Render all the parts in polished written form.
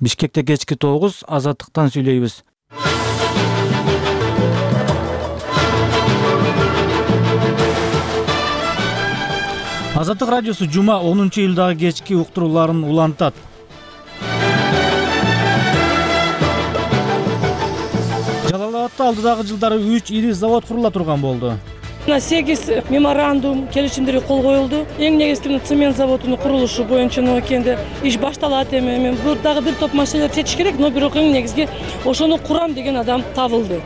Бишкекте кечки 9, Азаттыктан сүйлөйбүз. Азаттык радиосу жума 10-июлдагы кечки уктурууларын улантат. Жалал Абадта алдыдагы жылдары 3 ири завод курула турган болду. 8 меморандум келишимдери кол коюлду. Эң негизги цемент заводунун курулушу боюнча нокенде иш башталат эми. Мен бул дагы бир топ маселелер чечиш керек, но бирок эң негизги ошону курам деген адам табылды.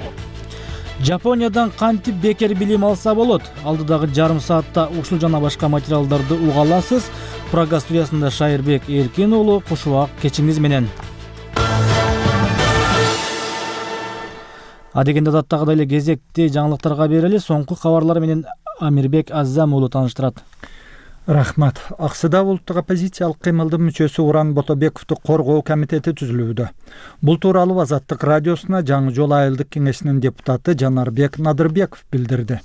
Жапониядан кантип бекер билим алса болот? Алдыдагы жарым саатта ушул жана башка материалдарды уга аласыз. Прага студиясында Шайырбек Эркин уулу кушубак кечиңиз менен. Адегенде даттагыдай эле кезекти жаңылыктарга берели. Соңку кабарлар менен Амирбек Аззам уулу тааныштырат. Рахмат. Аксыда улуттук оппозициялык кыймылдын мүчөсү Уран Ботобековду коргоо комитети түзүлүүдө. Бул тууралуу Азаттык радиосуна Жаңы жол айылдык кеңешинин депутаты Жанарбек Надырбеков билдирди.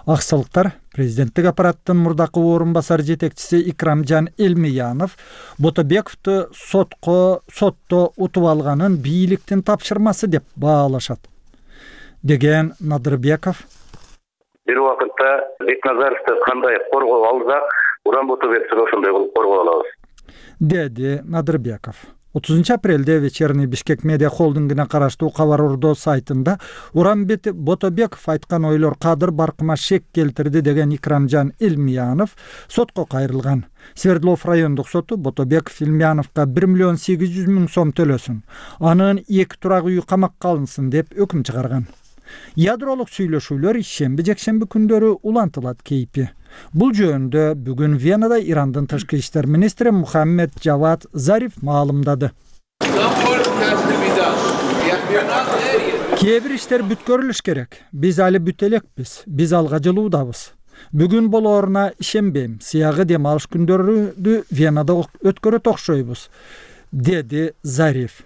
Аксылыктар президенттик аппараттын мурдакы орун-басар жетекчиси Икрамжан Элмиянов Ботобековду сотто утуп алганын бийликтин тапшырмасы деп баалашат. Деген Надырбеков: бир убакытта Бекназаровду кандай коргоо алсак, Уран Ботобековду ошондой кылып коргоо алабыз, деди Надырбеков. 30 апрелде Вечерний Бишкек медиа холдингине караштуу Кабар Ордо сайтында Уран Ботобеков айткан ойлор кадыр баркыма шек келтирди деген Икрамжан Элмиянов сотко кайрылган. Свердлов райондук соту Ботобеков Элмияновго 1,8 миллион сом төлөсүн, анын 2 турак үй камакка алынсын деп өкүм чыгарган. Ядролук сүйлөшүүлөр шемби-жекшемби күндөрү улантылат кейпи. Бул жөнүндө бүгүн Венада Ирандын тышкы иштер министри Мухаммед Джавад Зариф маалымдады. Кээ бир иштер бүткөрүлүш керек. Биз али бүтө элекпиз. Биз алга жылуудабыз. Бүгүн болооруна ишенбейм. Сыягы дем алыш күндөрү Венада өткөрөт окшойбуз, деди Зариф.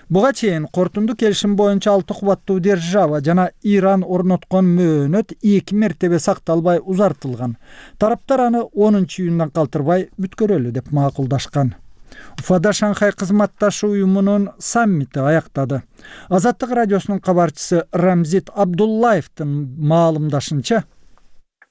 Буга чейин кортунду келишим боюнча 6 кубаттуу держава жана Иран орноткон мөөнөт 2 мертебе сакталбай узартылган. Тараптар аны 10-июндан калтырбай бүткөрөлү деп макулдашкан. Уфада Шанхай кызматташы уюмунун саммити аяктады. Азаттык радиосунун кабарчысы Рамзит Абдуллаевдин маалымдашынча,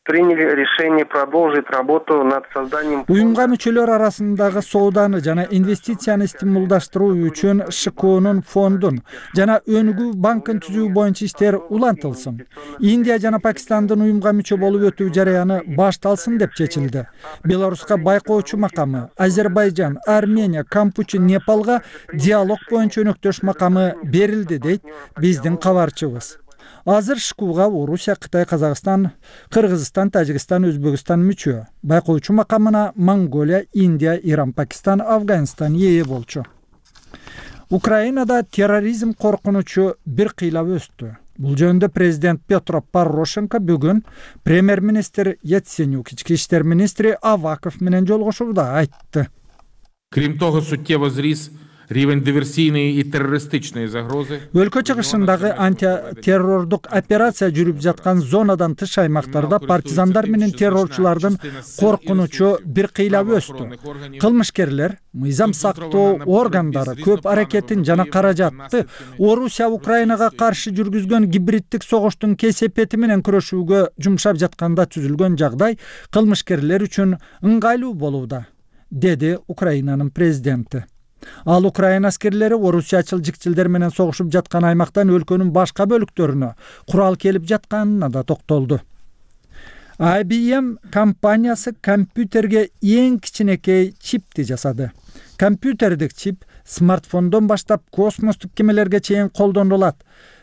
приняли решение продолжить работу над созданием уюмга мүчөлөр арасындагы сооданы жана инвестицияны стимулдаштыруу үчүн ШКОнун фондун жана өнүгүү банкын түзүү боюнча иштер улантылсын. Индия жана Пакистандын уюмга мүчө болуп өтүү жараяны башталсын деп чечилди. Беларуска байкоочу макамы, Азербайжан, Армения, Кампучи, Непалга диалог боюнча өнөктөш макамы берилди дейт биздин кабарчыбыз. Азыр ШКУга Орусия, Кытай, Казакстан, Кыргызстан, Тажикстан, Өзбекстан мүчө. Байкоочу макамына Монголия, Индия, Иран, Пакистан, Афганистан ээ болчу. Украинада терроризм коркунучу бир кыйлап өстү. Бул жөнүндө президент Петро Порошенко бүгүн премьер-министр Яценюк, ички иштер министри Аваков менен жолугушууда айтты. Крім того, суттєво зріс рівень диверсійної і терористичної загрози. Өлкө чыгышындагы антитеррордук операция жүрүп жаткан зонадан тыш аймактарда партизандар менен террорчулардын коркунучу бир кыйлап өстү. Кылмышкерлер мыйзам сактоо органдары көп аракетин жана каражатты Орусия Украинага каршы жүргүзгөн гибриддик согуштун кесепети менен күрөшүүгө жумшап жатканда түзүлгөн жагдай кылмышкерлер үчүн ыңгайлуу болууда, деди Украинанын президенти. Ал Украина аскерлери орусиячыл жикчилдер менен согушуп жаткан аймактан өлкөнүн башка бөлүктөрүнө курал келип жатканына да токтолду. IBM компаниясы компьютерге эң кичинекей чипти жасады. Компьютердик чип смартфондон баштап космостук кемелерге чейин колдонулат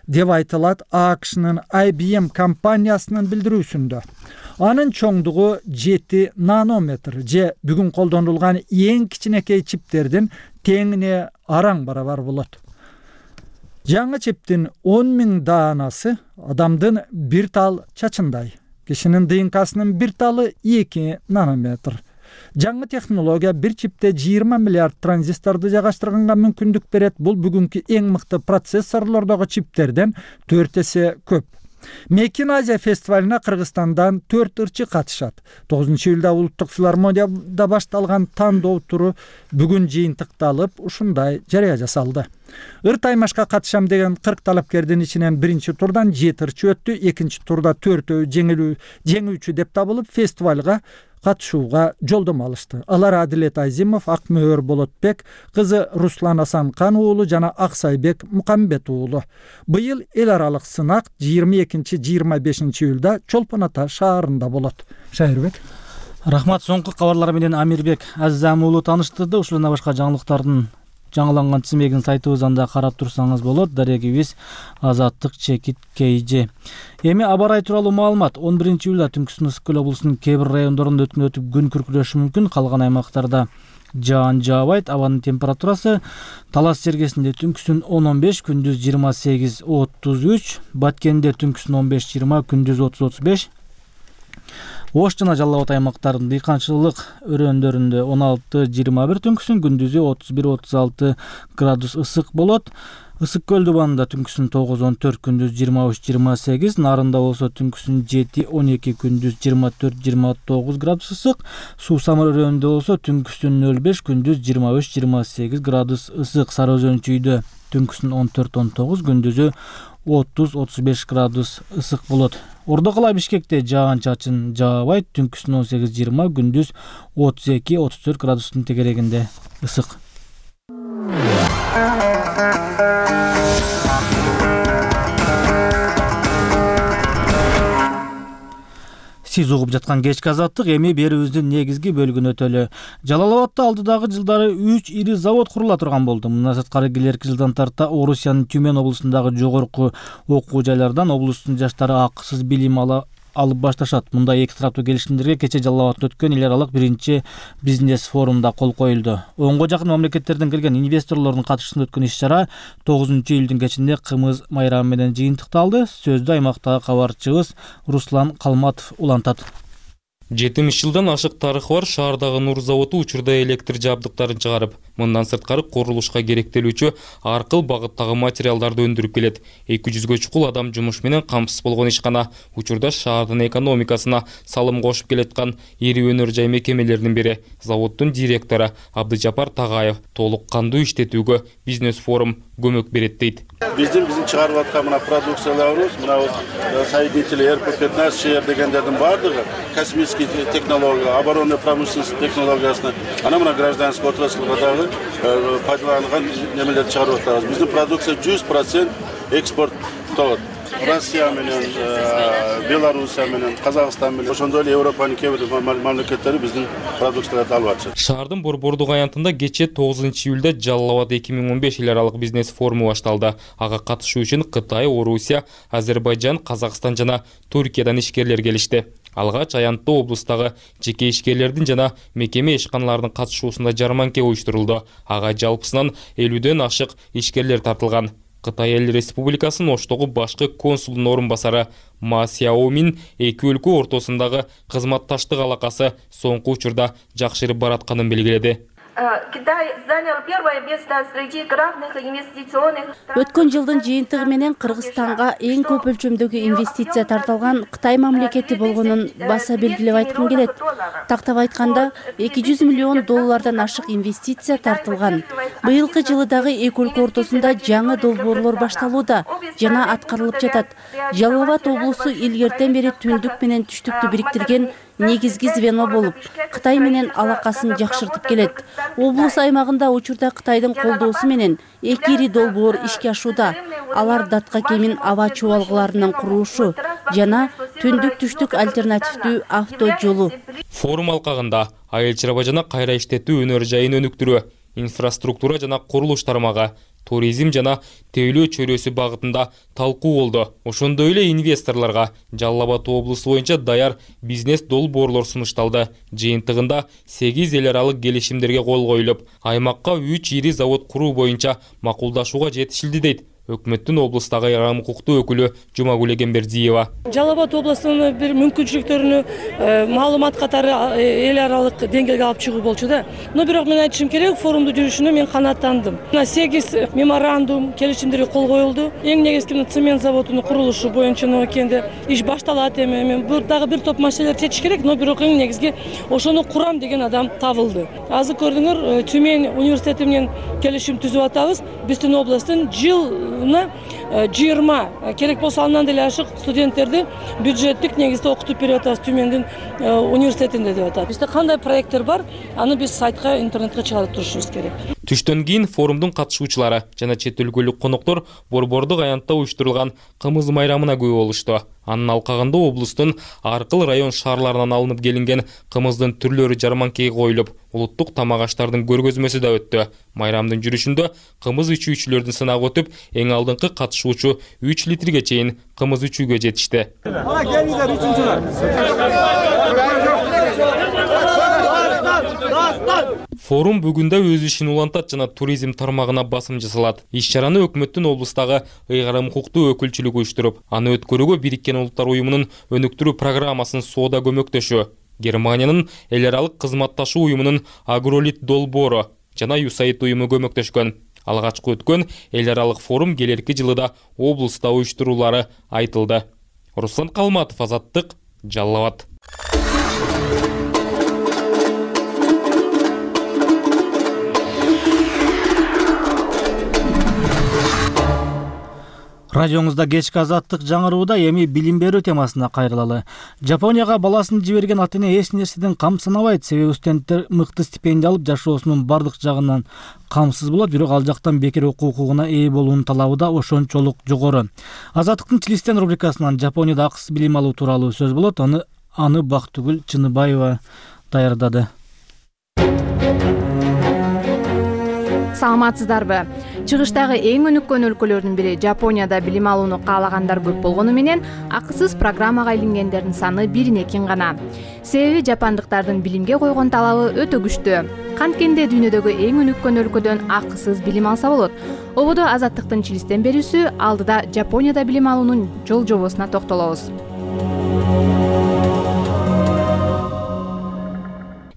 деп айтылат AQShnын IBM компаниясынын билдирүүсүндө. Анын чоңдугу 7 нанометр же бүгүн колдонулган эң кичинекей чиптердин теңине араң барабар болот. Жаңы чиптин 10.000 даанасы адамдын бир тал чачындай. Кишинин ДНКсынын бир талы 2 нанометр. Жаңы технология бир чипте 20 миллиард транзисторду жайгаштырганга мүмкүндүк берет. Бул бүгүнкү эң мыкты процессорлордогу чиптерден 4 эсе көп. Make in Asia фестивалына Кыргызстандан 4 ырчы катышат. 9-июлда улуттук филармонияда башталган тандоо туру бүгүн жыйынтыкталып, ушундай жарыя жасалды. Ыр таймашка катышам деген 40 талапкердин ичинен биринчи турдан 7 ырчы өттү, экинчи турда 4 жеңүүчү деп табылып, фестивалга катышууга жолдомо алышты. Алар Адилет Айзимов, Акмөөр Болотбек, кызы Руслан Асанкан уулу жана Аксайбек Мукамбет уулу. Быйыл эл аралык сынак 22-25 июлда Чолпон Ата шаарында болот. Шайырбек. Рахмат. Соңку кабарлар менен Амирбек Аззам уулу таныштырды. Ушул жана башка жаңылыктардын жаңыланган тизмегин сайтыбызда карап турсаңыз болот. Дарегибиз Азаттык Чекит KG. Эми аба ырайы тууралуу маалымат. 11-июлда түнкүсүн Ысык көл облусунун кээ бир райондорунда өтүп күн күркүрөшү мүмкүн. Калган аймактарда жаан жаабайт. Абанын температурасы Талас жергесинде түнкүсүн 10-15, күндүз 28-33, Баткенде түнкүсүн 15-20, күндүз 30-35. Ош жана Жалал Абад аймактарынын дыйканчылык өрөөндөрүндө 16-21, түнкүсүн күндүзү 31-36 градус ысык болот. Ысык көл дубанында түнкүсүн 9-14, күндүз 23-28, Нарында болсо түнкүсүн 7-12, күндүз 24-29 градус ысык. Суу Самыр өрөөнүндө болсо түнкүсүн 05, күндүз 23-28 градус ысык. Сары Өзөн чүйдө түнкүсүн 14-19, күндүзү 30-35 градус ысык болот. Ордо кала Бишкекте жаан чачын жаабайт, түнкүсүн 18-20, күндүз 32-34 градустун тегерегинде ысык. Сиз угуп жаткан кечки азаттык эми берүүбүздүн негизги бөлүгүнө өтөлү. Жалал Абадта алдыдагы жылдары 3 ири завод курула турган болду. Мындан сырткары келерки жылдан тарта Орусиянын Түмен облусундагы жогорку окуу жайлардан облустун жаштары акысыз билим алып башташат. Мындай эки тараптуу келишимдерге кече Жалал Абадта өткөн эл аралык биринчи бизнес форумда кол коюлду. 10го жакын мамлекеттерден келген инвесторлордун катышуусунда өткөн иш-чара 9-июлдун кечинде кымыз майрамы менен жыйынтыкталды. Сөздү аймактагы кабарчыбыз Руслан Калматов улантат. 70 жылдан ашык тарыхы бар шаардагы Нур заводу учурда электр жабдыктарын чыгарып, мындан сырткары курулушка керектелүүчү ар кыл багыттагы материалдарды өндүрүп келет. 200гө чукул адам жумуш менен камсыз болгон ишкана учурда шаардын экономикасына салым кошуп келаткан ири өнөр жай мекемелеринин бири. Заводдун директору Абдыжапар Тагаев толук кандуу иштетүүгө бизнес форум көмөк берет дейт. Биздин чыгарып аткан мына продукцияларыбыз, мына соединители РП-15 ШР дегендердин баардыгы космический технология, оборонный промышленность технологиясына, ана мына гражданский отраслга дагы пайдаланган немелерди чыгарып атабыз. Биздин продукция 100% экспорттолот. Россия менен, Белоруссия менен, Казакстан менен, ошондой эле Европанын кээ бир мамлекеттери биздин продукцияларды алып атышат. Шаардын Борбордук аянтында кече 9-июлда Жалал Абад 2015 эл аралык бизнес форуму башталды. Ага катышуу үчүн Кытай, Орусия, Азербайжан, Казакстан жана Түркиядан ишкерлер келишти. Алгач аянтта облустагы жеке ишкерлердин жана мекеме ишканалардын катышуусунда жарманке уюштурулду. Ага жалпысынан 50ден ашык ишкерлер тартылган. Кытай Эл Республикасынын Оштогу башкы консулдун орун басары Ма Сяомин эки өлкө ортосундагы кызматташтык алакасы соңку учурда жакшырып баратканын белгиледи. Өткөн жылдын жыйынтыгы менен Кыргызстанга эң көп өлчөмдөгү инвестиция тартылган Кытай мамлекети болгонун баса белгилеп айткым келет. Тактап айтканда, 200 миллион доллардан ашык инвестиция тартылган. Быйылкы жылы дагы эки өлкө ортосунда жаңы долбоорлор башталууда жана аткарылып жатат. Жалал Абад облусу илгертен бери түндүк менен түштүктү бириктирген негизги звено болуп, Кытай менен алакасын жакшыртып келет. Облус аймагында учурда Кытайдын колдоосу менен эки ири долбоор ишке ашууда. Алар датка кемин аба чубалгыларынын курулушу жана түндүк-түштүк альтернативдүү авто жолу. Форум алкагында айыл чарба жана кайра иштетүү өнөр жайын өнүктүрүү, инфраструктура жана курулуш тармагы, туризм жана тейлөө чөйрөсү багытында талкуу болду. Ошондой эле инвесторлорго Жалал Абад облусу боюнча даяр бизнес долбоорлор сунушталды. Жыйынтыгында 8 эл аралык келишимдерге кол коюлуп, аймакка 3 ири завод куруу боюнча макулдашууга жетишилди дейт өкмөттүн облустагы айрым укуктуу өкүлү Жумагүл Эгембердиева. Жалал Абад областынын бир мүмкүнчүлүктөрүнү маалымат катары эл аралык деңгээлге алып чыгуу болчу да. Но бирок мен айтышым керек, форумду жүрүшүнө мен канааттандым. 8 меморандум, келишимдерге кол коюлду. Эң негизги цемент заводунун курулушу боюнча нокенде иш башталат эми. Мен дагы бир топ маселелерди чечиш керек, но бирок эң негизги ошону курам деген адам табылды. Азыр көрдүңөр, Тюмень университети менен келишим түзүп атабыз. Биздин областтын жылына 20 керек болсо андан деле ашык студенттерди бюджеттик негизде окутуп берип атабыз Тюмендин университетинде деп атат. Бизде кандай проекттер бар, аны биз сайтка, интернетке чыгарып турушубуз керек. Түштөн кийин форумдун катышуучулары жана чет өлкөлүк коноктор Борбордук аянтта уюштурулган кымыз майрамына күбө болушту. Анын алкагында облустун ар кыл район шаарларынан алынып келинген кымыздын түрлөрү жарманкеге коюлуп, улуттук тамак аштардын көргөзмөсү да өттү. Майрамдын жүрүшүндө кымыз ичүүчүлөрдүн сынагы өтүп, эң алдыңкы катышуучу 3 литрге чейин кымыз ичүүгө жетишти. Форум бүгүндө өз ишин улантат жана туризм тармагына басым жасалат. Иш-чараны өкмөттүн облустагы ыйгарым укуктуу өкүлчүлүгү уюштуруп, аны өткөрүүгө Бириккен Улуттар уюмунун өнүктүрүү программасын соода көмөктөшү, Германиянын эл аралык кызматташуу уюмунун Агролит долбоору жана USAID уюму көмөктөшкөн. Алгачкы өткөн эл аралык форум келерки жылы да облуста уюштурулары айтылды. Руслан Калматов, Азаттык, Жалал Абад. Радиоңузда кечки Азаттык жаңырууда эми билим берүү темасына кайрылалы. Жапонияга баласын жиберген ата-эне эч нерседен кам санабайт, себеби студенттер мыкты стипендия алып жашоосунун бардык жагынан камсыз болот, бирок ал жактан бекер окуу укугуна ээ болуунун талабы да ошончолук жогору. Азаттыктын Чилистен рубрикасынан Жапонияда акысыз билим алуу тууралуу сөз болот. Аны Бактыгүл Чыныбаева даярдады. Саламатсыздарбы? Чыгыштагы эң өнүккөн өлкөлөрдүн бири Жапонияда билим алууну каалагандар көп болгону менен акысыз программага илингендердин саны 1-2 гана. Себеби жапондуктардын билимге койгон талабы өтө күчтүү. Канткенде дүйнөдөгү эң өнүккөн өлкөдөн акысыз билим алса болот. Ободо Азаттыктын Чилистен берүүсү алдыда Жапонияда билим алуунун жол-жобосуна токтолобуз.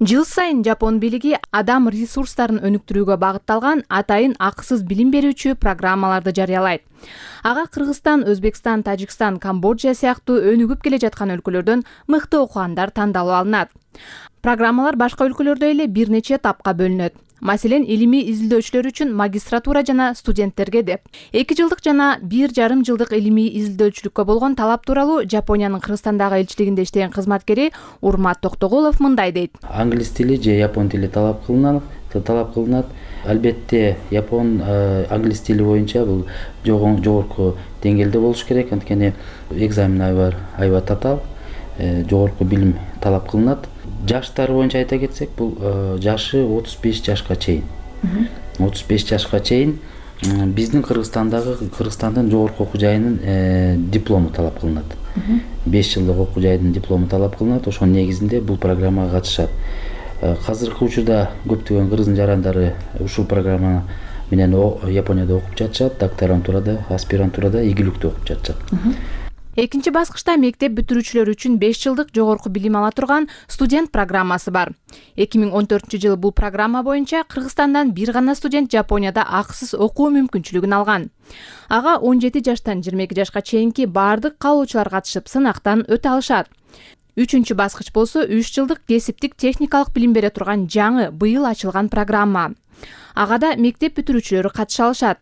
Жыл сайын Жапон бийлиги адам ресурстарын өнүктүрүүгө багытталган атайын акысыз билим берүүчү программаларды жарыялайт. Ага Кыргызстан, Өзбекстан, Тажикстан, Камбоджа сыяктуу өнүгүп келе жаткан өлкөлөрдөн мыкты окугандар тандалып алынат. Программалар башка өлкөлөрдө эле бир нече этапка бөлүнөт. Маселен, илимий изилдөөчүлөр үчүн магистратура жана студенттерге деп 2 жылдык жана 1,5 жылдык илимий изилдөөчүлүккө болгон талап тууралуу Жапониянын Кыргызстандагы элчилигинде иштеген кызматкери Урмат Токтогулов мындай дейт. Англис тили же япон тили талап кылынат. Албетте, япон англис тили боюнча бул жогорку деңгээлде болуш керек, анткени экзамен аябай татаал, жогорку билим талап кылынат. Жаштар боюнча айта кетсек, бул жашы 35 жашка чейин. 35 жашка чейин биздин Кыргызстандын жогорку окуу жайынын диплому талап кылынат. 5 жылдык окуу жайдын диплому талап кылынат. Ошонун негизинде бул программага катышат. Азыркы учурда көптөгөн кыргыз жарандары ушул программа менен Японияда окуп жатышат, докторантурада, аспирантурада ийгиликтүү окуп жатышат. Экинчи баскычта мектеп бүтүрүүчүлөр үчүн 5 жылдык жогорку билим ала турган студент программасы бар. 2014-жылы бул программа боюнча Кыргызстандан бир гана студент Жапонияда акысыз окуу мүмкүнчүлүгүн алган. Ага 17 жаштан 22 жашка чейинки бардык каалоочулар катышып сынактан өтө алышат. Үчүнчү баскыч болсо 3 жылдык кесиптик техникалык билим бере турган жаңы быйыл ачылган программа. Агада мектеп бүтүрүүчүлөрү катыша алышат.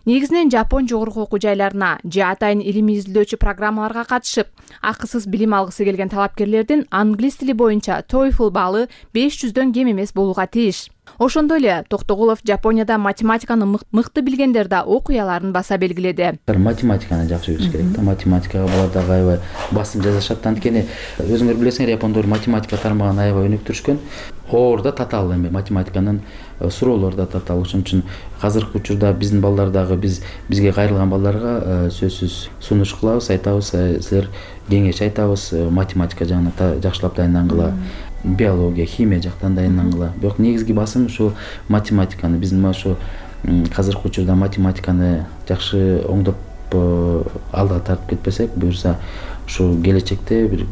Негизинен Жапон жогорку окуу жайларына же атайын илимий изилдөөчү программаларга катышып, акысыз билим алгысы келген талапкерлердин англис тили боюнча TOEFL баллы 500дөн кем эмес болууга тийиш. Ошондой эле Токтогулов Жапонияда математиканы мыкты билгендер да окуяларын баса белгиледи. Математиканы жакшы билиш керек да, математикага балар дагы аябай басым жасашат, анткени өзүңөр билесиңер, япондор математика тармагын аябай өнүктүрүшкөн. Орда татаал эми математиканын суроолору да татаал. Ошон үчүн азыркы учурда биздин балдар дагы бизге кайрылган балдарга сөзсүз сунуш кылабыз, айтабыз, силер кеңеш айтабыз, математика жагына жакшылап дайындангыла, биология, химия жактан дайындангыла. Бирок негизги басым ушу математиканы, биздин ушу казыркы учурда математиканы жакшы оңдоп алдыга тартып кетпесек, буюрса ушу келечекте бир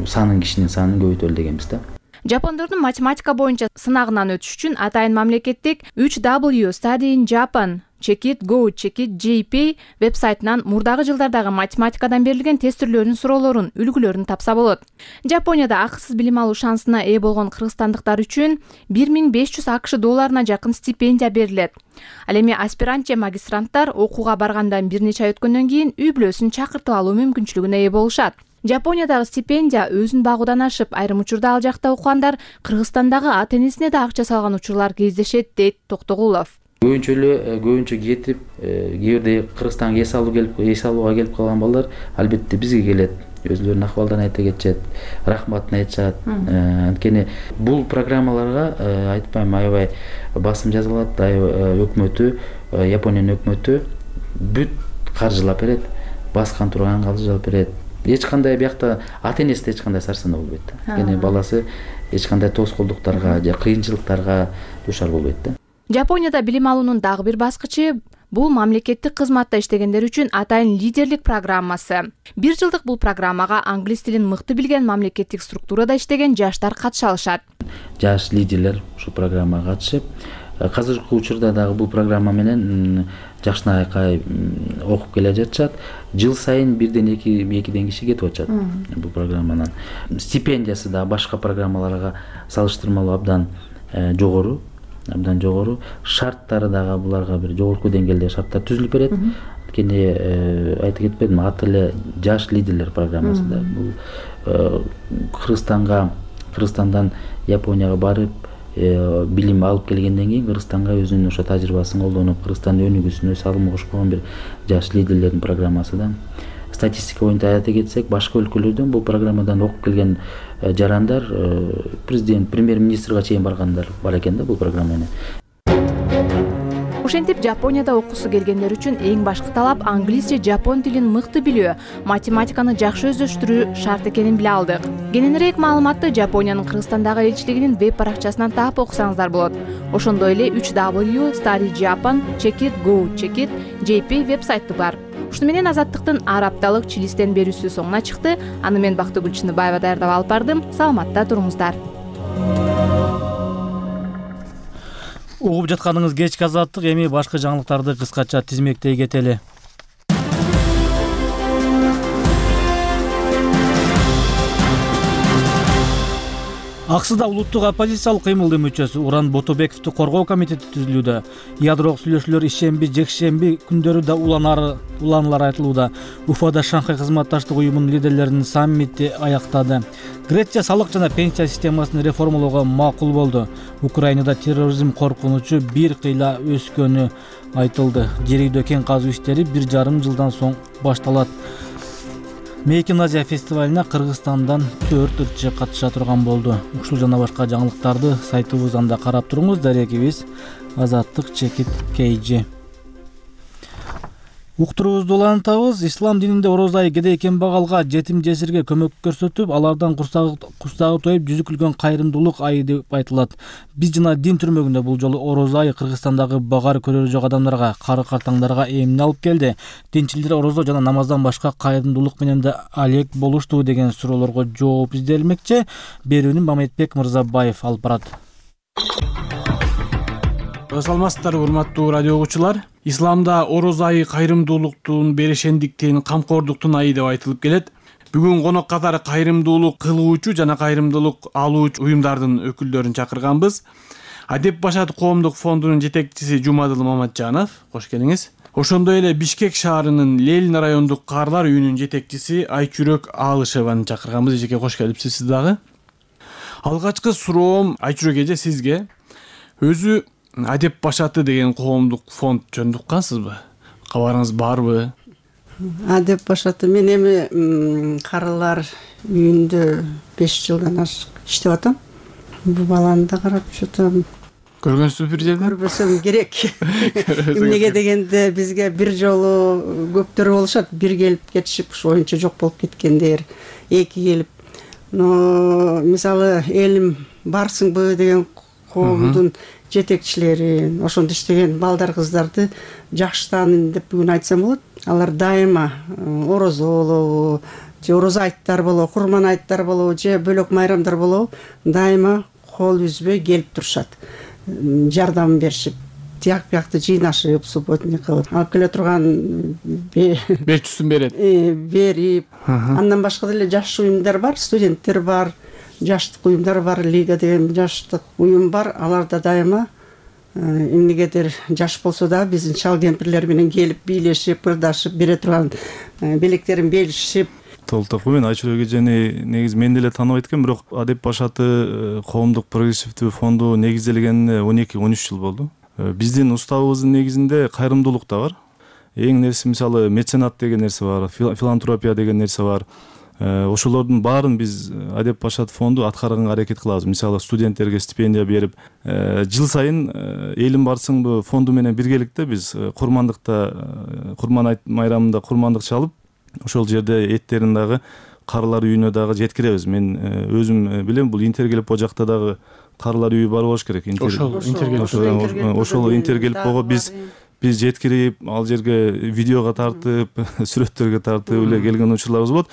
кишинин санын көбөйтөлү дегенбиз да. Жапондордун математика боюнча сынагынан өтүш үчүн атайын мамлекеттик 3W Study in Japan Check it Go Check it JP вебсайтынан мурдагы жылдардагы математикадан берилген тест түрлөрүнүн суроолорун, үлгүлөрүн тапса болот. Жапонияда акысыз билим алуу шансына ээ болгон кыргызстандыктар үчүн 1500 АКШ долларына жакын стипендия берилет. Ал эми аспирант же магистранттар окууга баргандан бир нече ай өткөндөн кийин үй бүлөсүн чакыртып алуу мүмкүнчүлүгүнө ээ болушат. Жапониядагы стипендия өзүн багуудан ашып, айрым учурда ал жакта окугандар Кыргызстандагы ата-энесине да акча салган учурлар кездешет, дейт Токтогулов. Көбүнчө кетип, кээ бирде Кыргызстанга эс алууга келип калган балдар албетте бизге келет. Өзлөрүнүн акыбалдарын айта кетишет, рахматын айтышат. Анткени бул программаларга айтпайм, аябай басым жазылат, өкмөтү, Япониянын өкмөтү бүт каржылап берет, баскан турган каржылап берет. Эч кандай биякта ата-энесиде эч кандай сарсанаа болбойт да. Анткени баласы эч кандай тоскоолдуктарга же кыйынчылыктарга дуушар болбойт да. Жапонияда билим алуунун дагы бир баскычы бул мамлекеттик кызматта иштегендер үчүн атайын лидерлик программасы. 1 жылдык бул программага англис тилин мыкты билген мамлекеттик структурада иштеген жаштар катыша алышат. Жаш лидерлер ушул программага катышып, казыркы учурда дагы бул программа менен жакшынакай окуп келе жатышат. Жыл сайын 1-2 киши кетип атышат бул программанан. Стипендиясы да башка программаларга салыштырмалуу абдан жогору. Шарттары дагы буларга бир жогорку деңгээлде шарттар түзүлүп берет. Анткени айта кетпедим, аты эле жаш лидерлер программасы да. Бул Кыргызстандан Японияга барып билим алып келгенден кийин Кыргызстанга өзүнүн ошо тажрыйбасын колдонуп, Кыргызстандын өнүгүүсүнө салым кошкон бир жаш лидерлердин программасы да. Статистика боюнча айта кетсек, башка өлкөлөрдөн бул программадан окуп келген жарандар президент, премьер-министрге чейин баргандар бар экен да бул программа менен. Ошентип Жапонияда окуусу келгендер үчүн эң башкы талап англис же жапон тилин мыкты билүү, математиканы жакшы өздөштүрүү шарт экенин биле алдык. Кененирээк маалыматты Жапониянын Кыргызстандагы элчилигинин веб баракчасынан таап окусаңыздар болот. Ошондой эле 3W Study Japan Check it Go Check it JP вебсайты бар. Ушуну менен Азаттыктын ар апталык Чилистен берүүсү соңуна чыкты. Аны мен Бактыгүл Чыныбаева даярдап алып бардым. Саламатта туруңуздар. Угуп жатканыңыз кечки Азаттык, эми башка жаңылыктарды кыскача тизмектей кетели. Аксыда улуттук оппозициялык кыймылдын мүчөсү Уран Ботобековду коргоо комитети түзүлүүдө. Ядролук сүйлөшүүлөр ишемби, жекшемби күндөрү да уланалар айтылууда. Уфада Шанхай кызматташтык уюмунун лидерлеринин саммити аяктады. Греция салык жана пенсия системасын реформалоого макул болду. Украинада терроризм коркунучу бир кыйла өскөнү айтылды. Жер үйдө кен казуу иштери 1,5 жылдан соң башталат. Мейкин Азия фестивалына Кыргызстандан 4 ырчы катыша турган болду. Ушул жана башка жаңылыктарды сайтыбыздан да карап туруңуз. Дарегибиз Азаттык Чекит KG. Уктуруубузду улантабыз. Ислам дининде ороз айы кедей кембагалга, жетим жесирге көмөк көрсөтүп, алардан курсагы тоюп жүзүкүлгөн кайрымдуулук айы деп айтылат. Биз жана дин түрмөгүндө бул жолу ороз айы Кыргызстандагы багар көрөрү жок адамдарга, кары картаңдарга эмне алып келди? Динчилер орозо жана намаздан башка кайрымдуулук менен да алек болушту деген суроолорго жооп изделмекчи. Берүүнү Мамедбек Мырзабаев алып барат. Саламатсыздарбы, урматтуу радио угуучулар. Исламда ороз айы кайрымдуулуктун, берешендиктин, камкордуктун айы деп айтылып келет. Бүгүн конок катары кайрымдуулук кылуучу жана кайрымдуулук алуучу уюмдардын өкүлдөрүн чакырганбыз. Адеп Башат коомдук фондунун жетекчиси Жумадыл Маматжанов, кош келиңиз. Ошондой эле Бишкек шаарынын Ленин райондук каарлар үйүнүн жетекчиси Айчүрөк Алышеваны чакырганбыз. Эжеке кош келипсиз сиз дагы. Алгачкы суроом Айчүрөк эже сизге. Өзү Адеп Башаты деген коомдук фонд жөнүндө уккансызбы? Кабарыңыз барбы? Адеп Башаты мен эми карылар үйүндө 5 жылдан ашык иштеп атам. Бул баланы да карап жатам. Көргөнсүз бир жерде? Көрбөсөм керек. Эмнеге дегенде бизге бир жолу көптөр болушат, бир келип кетишип, ушу оюнча жок болуп кеткендер, эки келип. Но мисалы элим барсыңбы деген коомдун жетекчилерин, ошондо иштеген балдар кыздарды жакшы таанын деп бүгүн айтсам болот. Алар дайыма орозо болобу, же орозо айттар болобу, курман айттар болобу, же бөлөк майрамдар болобу, дайыма кол үзбөй келип турушат. Жардам беришип, тияк биякты жыйнашып, субботник кылып, алып келе турган берчүсүн берет. Берип, андан башка деле жаш уюмдар бар, студенттер бар, жаштык уюмдар бар, лига деген жаштык уюм бар. Алар да дайыма эмнегедир жаш болсо да биздин чал кемпирлер менен келип бийлешип, ырдашып, бере турган белектерин белишип. Толтокуу мен Айчүрөк эжени негизи мен деле тааныбайт экенмин, бирок Адеп Башаты коомдук прогрессивдүү фонду негизделгенине 12-13 жыл болду. Биздин уставыбыздын негизинде кайрымдуулук да бар. Эң нерсе мисалы меценат деген нерсе бар, филантропия деген нерсе бар. Ошолордун баарын биз Адеп Башат фонду аткарганга аракет кылабыз. Мисалы студенттерге стипендия берип, жыл сайын элим барсыңбы фонду менен биргеликте биз курман майрамында курмандык чалып, ошол жерде эттерин дагы карылар үйүнө дагы жеткиребиз. Мен өзүм билем, бул Интергелип жакта дагы карылар үйү бар болуш керек. Ошол Интергелип биз жеткирип, ал жерге видеого тартып, сүрөттөргө тартып эле келген учурларыбыз болот.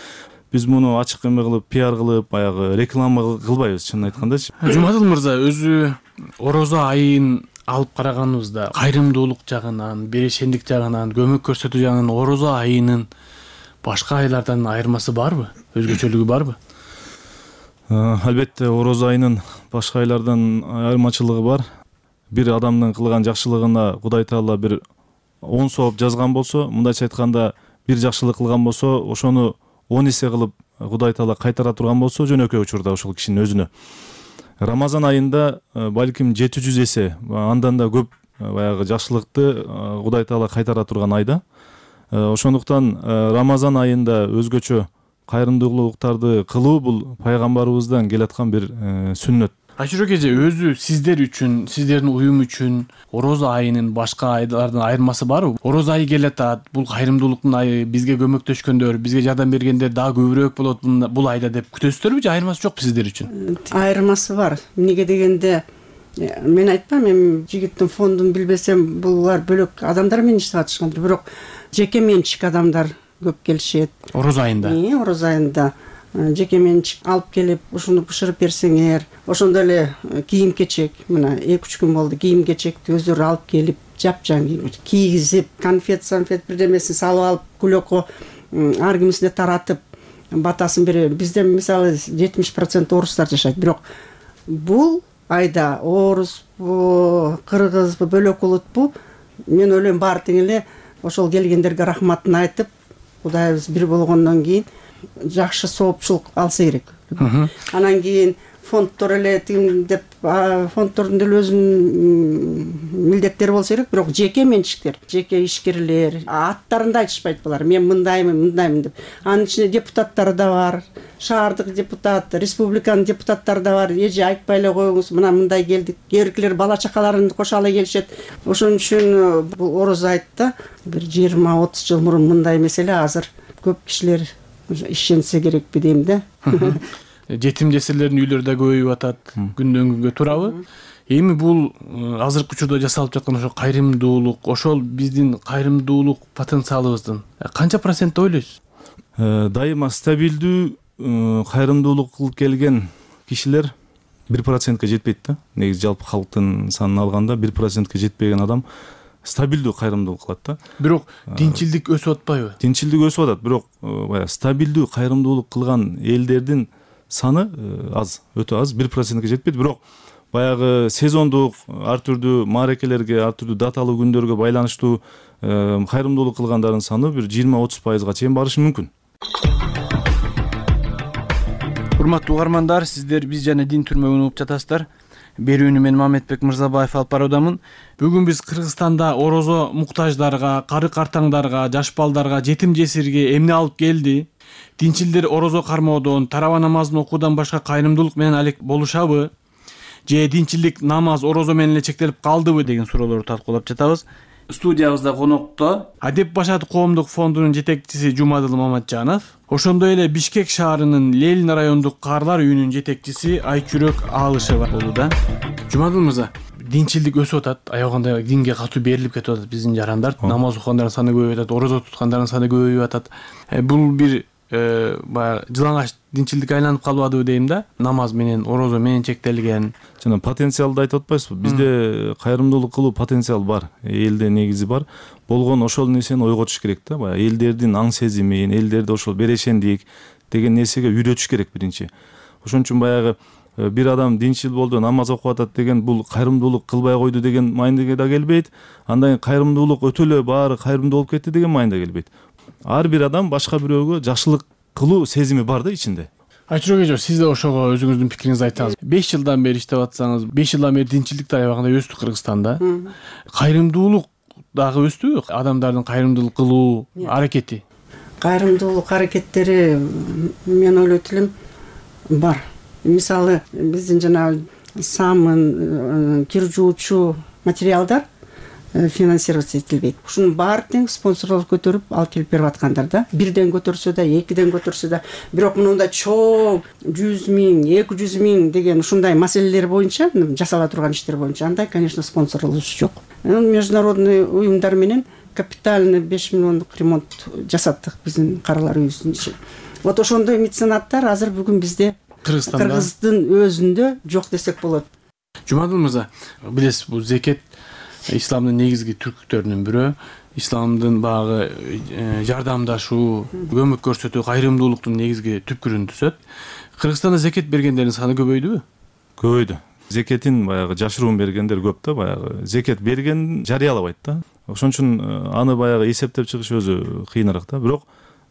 Биз муну ачык эме кылып, пиар кылып, баягы реклама кылбайбыз, чынын айткандачы. Жумадыл мырза, өзү орозо айын алып караганыбызда кайрымдуулук жагынан, берешендик жагынан, көмөк көрсөтүү жагынан орозо айынын башка айлардан айырмасы барбы? Өзгөчөлүгү барбы? Албетте, орозо айынын башка айлардан айырмачылыгы бар. Бир адамдын кылган жакшылыгына Кудай Таала бир 10 сооп жазган болсо, мындайча айтканда, бир жакшылык кылган болсо, ошону 10 эсе кылып Кудай Таала кайтара турган болсо, жөнөкөй учурда ошол кишинин өзүнө. Рамазан айында балким 700 эсе, андан да көп баягы жакшылыкты Кудай Таала кайтара турган айда. Ошондуктан Рамазан айында өзгөчө кайрымдуулуктарды кылуу бул пайгамбарыбыздан келаткан бир сүннөт. Айчүрөк эже, өзү сиздер үчүн, сиздердин уюм үчүн орозо айынын башка айдардан айырмасы барбы? Орозо айы келатат, бул кайрымдуулуктун айы, бизге көмөктөшкөндөр, бизге жардам бергендер дагы көбүрөөк болот бул айда деп күтөсүздөрбү же айырмасы жокпу сиздер үчүн? Айырмасы бар. Эмнеге дегенде, мен айтпам, эми жигиттин фондун билбесем, булар бөлөк адамдар менен иштеп атышкандыр, бирок жеке менчик адамдар көп келишет. Орозо айында? Орозо айында жеке менчик алып келип, ушуну бышырып берсеңер, ошондо эле кийим-кечек, мына 2-3 күн болду, кийим-кечекти өздөрү алып келип, жапжаң кийгизип, конфет бирдемесин салып алып, кулөккө ар кимисине таратып, батасын берер. Бизде мисалы 70% орустар жашайт, бирок бул айда орусбу, кыргызбы, бөлөк улутпу, мен ойлойм баары тең эле ошол келгендерге рахматын айтып, Кудайыбыз бир болгондон кийин жакшы соопчулук алса керек. Анан кийин фонддор эле тим деп, фонддордун деле өзүнүн милдеттери болсо керек, бирок жеке менчиктер, жеке ишкерлер аттарында айтышпайт булар. Мен мындаймын деп. Анын ичинде депутаттар да бар, шаардык депутат, республиканын депутаттары да бар. Эже айтпай эле коюңуз, мына мындай келдик. Кээбиркилер бала чакаларын кошо ала келишет. Ошон үчүн бул орозо айтта бир 20-30 жыл мурун мындай эмес эле, азыр көп кишилер ишенсе керекпи дейм да. Жетим жесирлердин үйлөрү да көбөйүп атат, күндөн күнгө, туурабы? Эми бул азыркы учурда жасалып жаткан ошо кайрымдуулук, ошол биздин кайрымдуулук потенциалыбыздын канча процент ойлойсуз? Дайыма стабилдүү кайрымдуулук кылып келген кишилер 1%ке жетпейт да. Негизи жалпы калктын санын алганда 1%ке жетпеген адам стабилдүү кайрымдуулук кылат да. Бирок тинчилдик өсүп атпайбы? Тинчилдик өсүп атат, бирок баягы стабилдүү кайрымдуулук кылган элдердин саны аз, өтө аз, 1%ке жетпейт. Бирок баягы сезондук, ар түрдүү маарекелерге, ар түрдүү даталуу күндөргө байланыштуу кайрымдуулук кылгандардын саны бир 20-30%га чейин барышы мүмкүн. Урматтуу угармандар, сиздер биз жана Дин түрмөгүн угуп жатасыздар. Берүүнү мен Мамедбек Мырзабаев алып баруудамын. Бүгүн биз Кыргызстанда орозо муктаждарга, кары картаңдарга, жаш балдарга, жетим жесирге эмне алып келди? Динчилдер орозо кармоодон, тарава намазын окуудан башка кайрымдуулук менен алек болушабы? Же динчилдик намаз, орозо менен эле чектелип калдыбы деген суроолорду талкуулап жатабыз. Студиябызда конокто Адеп Башат коомдук фондунун жетекчиси Жумадыл Маматжанов, ошондой эле Бишкек шаарынын Ленин райондук карлар үйүнүн жетекчиси Айчүрөк Алышева болууда. Жумадыл мырза, динчилдик өсүп атат, аябаганда динге катуу берилип кетип атат биздин жарандар. Намаз окугандардын саны көбөйүп атат, орозо туткандардын саны көбөйүп атат. Бул бир баягы жылаңач динчилдикке айланып калбадыбы дейм да, намаз менен орозо менен чектелген. Жана потенциалды айтып атпайсызбы? Бизде кайрымдуулук кылуу потенциал бар, элде негизи бар. Болгон ошол нерсени ойготуш керек да, баягы элдердин аң сезимин, элдерди ошол берешендик деген нерсеге үйрөтүш керек биринчи. Ошон үчүн баягы бир адам динчил болду, намаз окуп атат деген бул кайрымдуулук кылбай койду деген майнга да келбейт. Андан кийин кайрымдуулук өтө эле баары кайрымдуу болуп кетти деген майнга келбейт. Ар бир адам башка бирөөгө жакшылык кылуу сезими бар да ичинде. Айчурак эже, сиз да ошого өзүңүздүн пикириңизди айтсаңыз. 5 жылдан бери иштеп атсаңыз, 5 жылдан бери динчилдик да аябагында өстү Кыргызстанда. Кайрымдуулук дагы өстүбү? Адамдардын кайрымдуулук кылуу аракети. Кайрымдуулук аракеттери мен ойлойт элем бар. Мисалы, биздин жана самын, кир жуучу материалдар финансироваться этилбейт. Ушунун баары тең спонсорлор көтөрүп алып келип берип аткандар да. Бирден көтөрсө да, экиден көтөрсө да, бирок мындай чоң 100 000, 200 000 деген ушундай маселелер боюнча, жасала турган иштер боюнча андай, конечно, спонсорлорубуз жок. Международный уюмдар менен капитальный 5 миллиондук ремонт жасаттык биздин каралар үйүбүздүн ичин. Вот ошондой меценаттар азыр бүгүн бизде Кыргыздын өзүндө жок десек болот. Жумадыл мырза, билесиз, бул зекет исламдын негизги түркүктөрүнүн бирөө. Исламдын багы жардамдашуу, көмөк көрсөтүү, кайрымдуулуктун негизги түпкүрүн түзөт. Кыргызстанда зекет бергендердин саны көбөйдүбү? Көбөйдү. Зекетин баягы жашыруун бергендер көп да, баягы зекет берген жарыялабайт да. Ошон үчүн аны баягы эсептеп чыгыш өзү кыйыныраак да. Бирок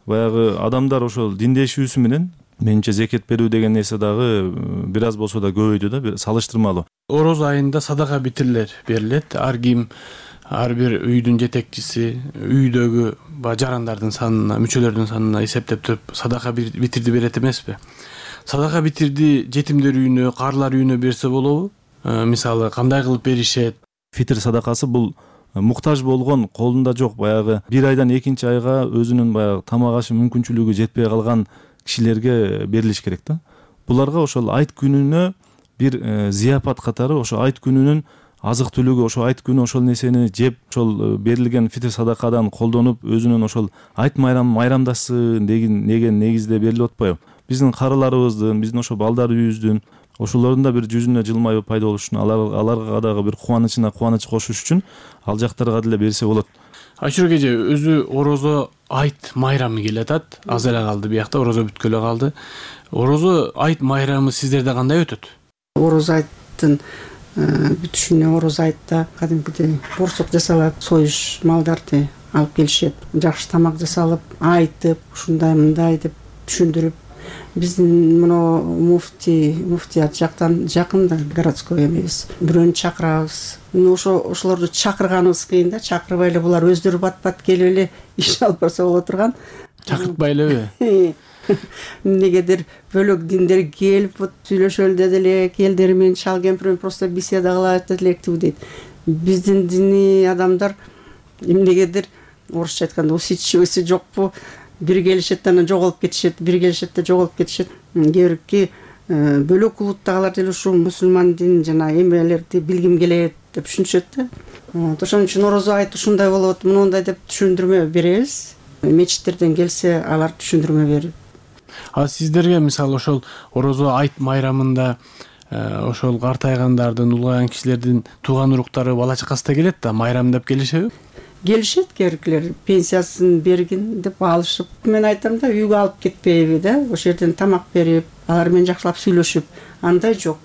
баягы адамдар ошол диндешүүсү менен менимче зекет берүү деген нерсе дагы бир аз болсо да көбөйдү да, салыштырмалуу. Орозо айында садака битирлер берилет. Ар ким, ар бир үйдүн жетекчиси үйдөгү жарандардын санына, мүчөлөрдүн санына эсептеп туруп садака битирди берет эмеспи? Садака битирди жетимдер үйүнө, карлар үйүнө берсе болобу? Мисалы, кандай кылып беришет? Фитр садакасы бул муктаж болгон, колунда жок, баягы бир айдан экинчи айга өзүнүн баягы тамак ашы мүмкүнчүлүгү жетпей калган кишилерге берилиш керек да. Буларга ошол айт күнүнө бир зияпат катары, ошо айт күнүнүн азык түлүгү, ошо айт күнү ошол нерсени жеп, ошол берилген фитр садакадан колдонуп, өзүнүн ошол айт майрамдашсын деген негизде берилип атпайбы? Биздин карыларыбыздын, биздин ошо балдар үйүбүздүн, ошолордун да бир жүзүнө жылмайып пайда болуш үчүн, аларга дагы бир кубанычына кубаныч кошуш үчүн ал жактарга деле берсе болот. Айчурак эже, өзү орозо айт майрамы келатат. Аз эле калды биякта, орозо бүткөлө калды. Орозо айт майрамы сиздерде кандай өтөт? Орозо айттын бүтүшүнө, орозо айтта кадимкидей борсок жасалат, союш малдарды алып келишет. Жакшы тамак жасалып, айтып, ушундай мындай деп түшүндүрүп, биздин мына муфтият жактан жакын да, городской эмебиз. Бирөөнү чакырабыз. Ошолорду чакырганыбыз кыйын да, чакырбай эле булар өздөрү бат-бат келип эле иш алып барса боло турган. Чакыртпай элеби? Эмнегедир бөлөк диндер келип сүйлөшөлү деди эле, келдери менен шал кемпир менен просто беседа кылат электип дейт. Биздин диний адамдар эмнегедир орусча айтканда усидчивости жокпу? Бир келишет, анан жоголуп кетишет, бир келишет да жоголуп кетишет. Кээ бирки бөлөк улуттагылар деле ушу мусулман дин жана эмелерди билгим келет деп түшүнүшөт да. Ошон үчүн орозо айт ушундай болот, мындай деп түшүндүрмө беребиз. Мечиттерден келсе, алар түшүндүрмө берет. А сиздерге мисалы ошол орозо айт майрамында ошол картайгандардын, улгайган кишилердин тууган уруктары бала чакасы да келет да, майрамдап келишеби? Келишет, кээбиркилер пенсиясын бергин деп алышып. Мен айтам да, үйгө алып кетпейби да, ошол жерден тамак берип, алар менен жакшылап сүйлөшүп, андай жок.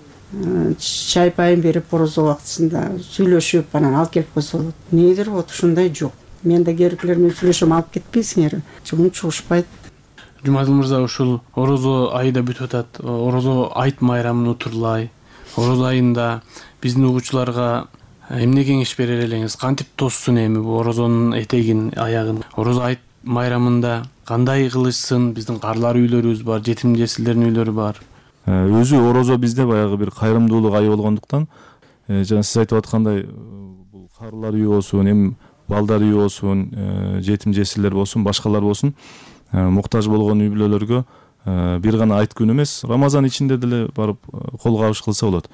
Чай пайын берип, орозо убактысында сүйлөшүп, анан алып келип койсо болот. Эмнедир вот ушундай жок. Мен да кээбиркилер менен сүйлөшөм, алып кетпейсиңер. Чоң чугушпайт. Жумадыл мырза, ушул орозо айы да бүтүп атат. Орозо айт майрамын утурлай. Орозо айында биздин угуучуларга эмне кеңеш берер элеңиз? Кантип тоссун эми бул орозонун этегин, аягын? Орозо айт майрамында кандай кылышсын? Биздин карлар үйлөрүбүз бар, жетим жесирлердин үйлөрү бар. Өзү орозо бизде баягы бир кайрымдуулук айы болгондуктан, жана сиз айтып аткандай, бул карлар үйү болсун, эми балдар үйү болсун, жетим жесирлер болсун, башкалар болсун, муктаж болгон үй бүлөлөргө бир гана айт күнү эмес, Рамазан ичинде деле барып кол кабыш кылса болот.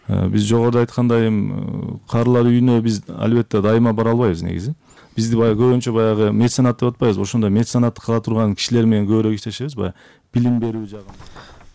Биз жогоруда айткандай карылар үйүнө биз албетте дайыма бара албайбыз негизи. Бизди баягы көбүнчө баягы меценат деп атпайбыз, ошондой меценатты кыла турган кишилер менен көбүрөөк иштешебиз, баягы билим берүү жагында.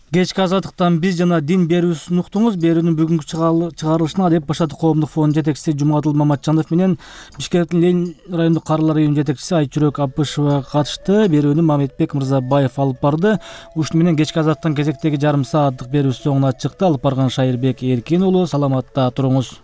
Кечки азаттыктан биз жана дин берүүсүн уктуңуз. Берүүнүн бүгүнкү чыгарылышына Адеп башаты коомдук фондунун жетекчиси Жумадыл Маматжанов менен Бишкектин Ленин райондук карылар үйүнүнүн жетекчиси Айчүрөк Абышева катышты. Берүүнү Мамедбек Мырзабаев алып барды. Ушуну менен кечки азаттын кезектеги жарым сааттык берүүсү соңуна чыкты. Алып барган Шайырбек Эркин уулу. Саламатта туруңуз.